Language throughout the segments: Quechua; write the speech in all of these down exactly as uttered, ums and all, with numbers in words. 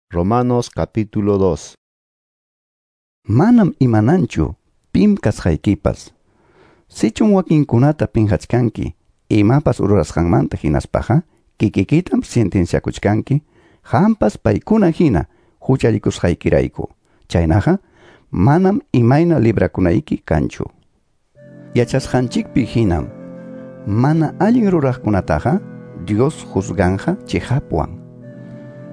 Romanos capítulo dos. Manam imananchu pim kasqaykipas. Sichum wakinkunata pinqachkanki imapas rurasqanmanta hinaspaqa kikikitam sentenciakuchkanki qampas paykuna hina huchallikusqaykirayku. Chaynaqa manam imayna librakunayki kanchu. Yachasqanchikpi hinam mana allin ruraqkunataqa Dios juzganja chiqapwan.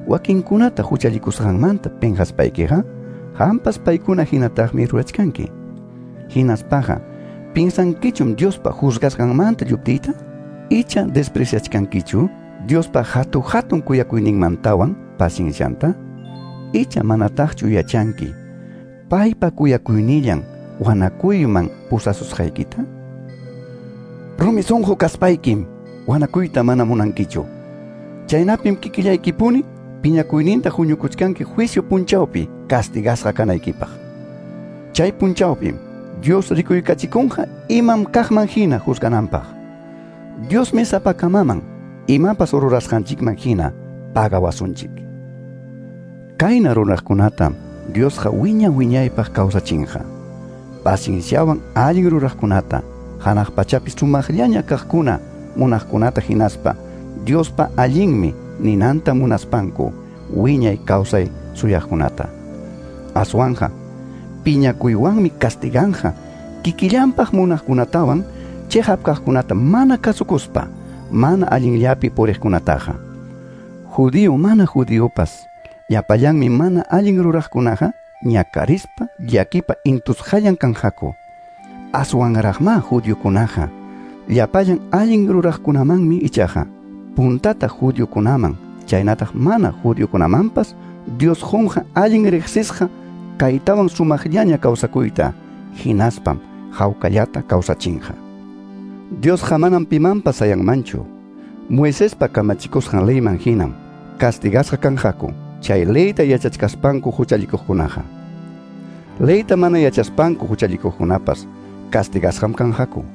Wakinkunata huchallikusqanmanta pinqaspaykiqa qampas paykuna hinataqmi rurachkanki. Hinaspaqa pinsankichum Diospa juzgasqanmanta lluptiyta? Icha despreciachkankichu Diospa hatu hatun kuyakuyninmantawan paciencianta? Icha manataqchu yachanki paypa kuyakuynillan wanakuyman pusasusqaykita? Rumi sunqu kaspaykim wanakuyta mana munankichu. Chaynapim kikillaykipuni piñakuyninta huñukuchkanki juicio punchawpi castigasqa kanaykipaq. Chay punchawpim Dios rikuykachikunqa imam kaqman hina juzgananpaq. Diosmi sapakamaman imapas rurasqanchikman hina pagawasunchik. Kayna ruraqkunatam Diosqa wiña wiñaypaq kawsachinqa. Pacienciawan allin ruraqkunata hanaq pachapi sumaqllaña kaqkuna munaqkunata hinaspa Diospa allinmi ninanta munaspanku wiñay kawsay suyaqkunata. Aswanja piñakuywanmi castiganja kikillanpaq munaqkunatawan chiqap kaqkunata mana kasukuspa mana allinllapi puriqkunataqa. Judío mana judíopas llapallanmi mana allin ruraqkunaqa ñakarispa llakipa intusqallan kanqaku. Aswanraqma judiokunaqa llapallan allin ruraqkunamanmi ichaqa puntata judiokunaman chaynataq mana judiokunamanpas Dios qunqa allin riqsisqa kaytawan sumaqllaña kawsakuyta hinaspam hawkallata kawsachinqa. Diosqa manam pimanpas sayanmanchu. Moisespa kamachikusqan leyman hinam castigasqa kanqaku chay leyta yachachkaspanku huchallikuqkunaqa. Leyta mana yachaspanku huchallikuqkunapas castigasqam kanqaku.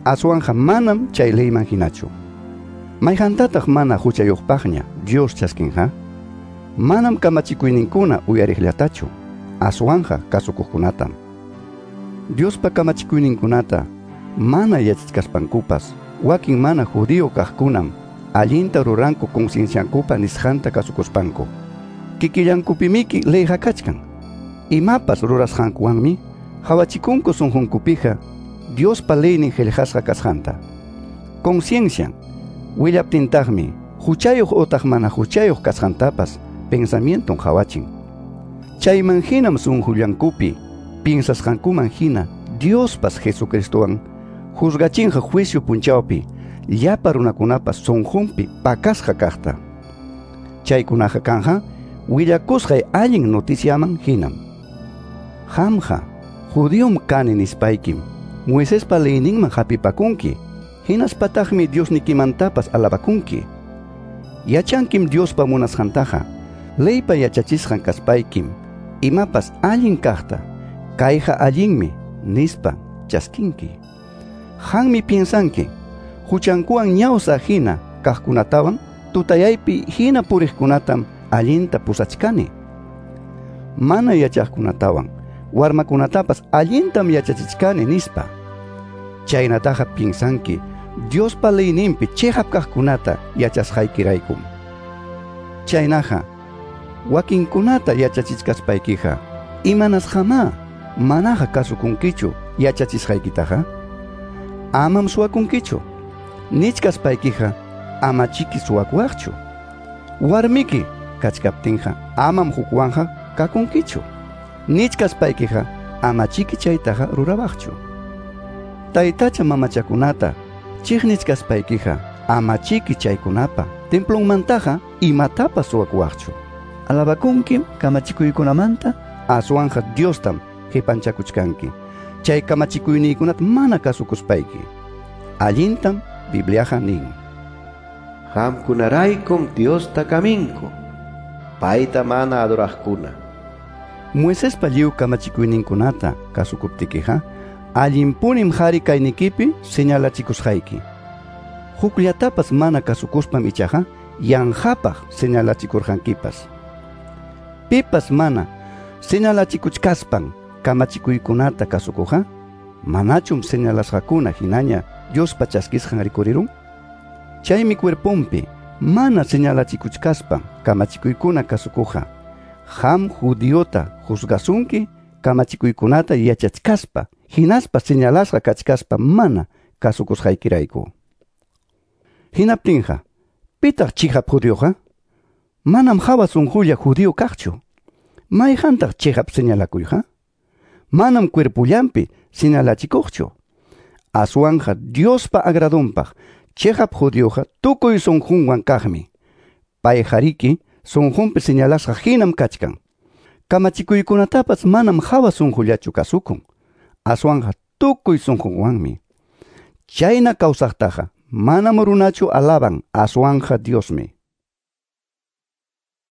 Aswanja manam chay leyman hinachu. Mayqantataq mana huchayuqpaqña Dios chaskinqa? Manam kamachikuyninkuna uyariqllatachu, aswanja kasukuqkunatam. Diospa kamachikuyninkunata mana yachachkaspankupas wakin mana judío kaqkunam allinta ruranku concienciankupa nisqanta kasukuspanku. Kikillankupimiki leyqa kachkan. Imapas rurasqankuwanmi hawachikunku sunqunkupiqa Diospa leynin qillqasqa kasqanta. Conciencian willaptintaqmi huchayuq utaq mana huchayuq kasqantapas pensamienton hawachin. Chayman hinam sunqullankupi piensasqankuman hina Diospas Jesucristowan juzgachinqa juicio punchawpi llapa runakunapas sunqunpi pakasqa kaqta. Chaykunaqa kanja willakusqay allin noticiaman hinam. Qamqa judiom kani nispaykim Moisespa leyninman hapipakunki, hinaspataqmi Diosnikimantapas alabakunki. Yachankim Diospa munasqantaqa leypa yachachisqan kaspaykim imapas allin kaqta kayqa allinmi nispa chaskinki. Qanmi piensanki huchankuwan ñawsa hina kaqkunatawan tutayaypi hina puriqkunatam allinta pusachkani. Mana yachaqkunatawan warmakunatapas allintam yachachichkani nispa. Chaynataqa piensanki Diospa leyninpi chiqap kaqkunata yachasqaykiraykum. Chaynaqa wakinkunata yachachichkaspaykiqa imanasqamá manaqa kasukunkichu yachachisqaykitaqa? Amam suwakunkichu. Nichkaspaykiqa amachiki suwakuwaqchu. Warmiki kachkaptinqa amam hukwanja kakunkichu. Nichkaspaykiqa amachiki chaytaqa rurawaqchu. Taytacha mamachakunata chiqnichkaspaykiqa amachiki chaykunapa templonmantaqa imatapas suwakuwaqchu. Alabakunkim kamachikuykunamanta aswanja Diostam qipanchakuchkanki. Chay kamachikuyniykunata mana kasukuspayki. Allintam Bibliaqa nin. Qamkunaraykum Diosta kaminku, payta mana adoraqkuna. Moisespa lliw kamachikuyninkunata kasukuptikiqa allinpunim qhari kaynikipi señalachikusqayki. Hukllatapas mana kasukuspam ichaqa yanqapaq señalachikurqankipas. Pipas mana señalachikuchkaspan kamachikuykunata kasukuqqa, manachum señalasqakuna hinaña Diospa chaskisqan rikurirun? Chaymi cuerponpi mana señalachikuchkaspan kamachikuykuna kasukuqqa, qam judiota juzgasunki kamachikuykunata yachachkaspa, hinaspa señalasqa kachkaspa mana kasukusqaykirayku. Hinaptinqa, pitaq chiqap judioqa? Manam hawa sunqulla judío kaqchu. Mayqantaq chiqap señalakuyqa? Manam cuerpullanpi señalachikuqchu. Aswanqa Diospa agradonpaq chiqap judioqa tukuy sunqunwan kaqmi. Payqariki sunqunpi señalasqa hinam kachkan. Kamachikuykunatapas manam hawa sunqullachu kasukun. Aswanqa tukuy sunqunwanmi. Chayna kawsaqtaqa manam runachu alaban, aswanqa Diosmi.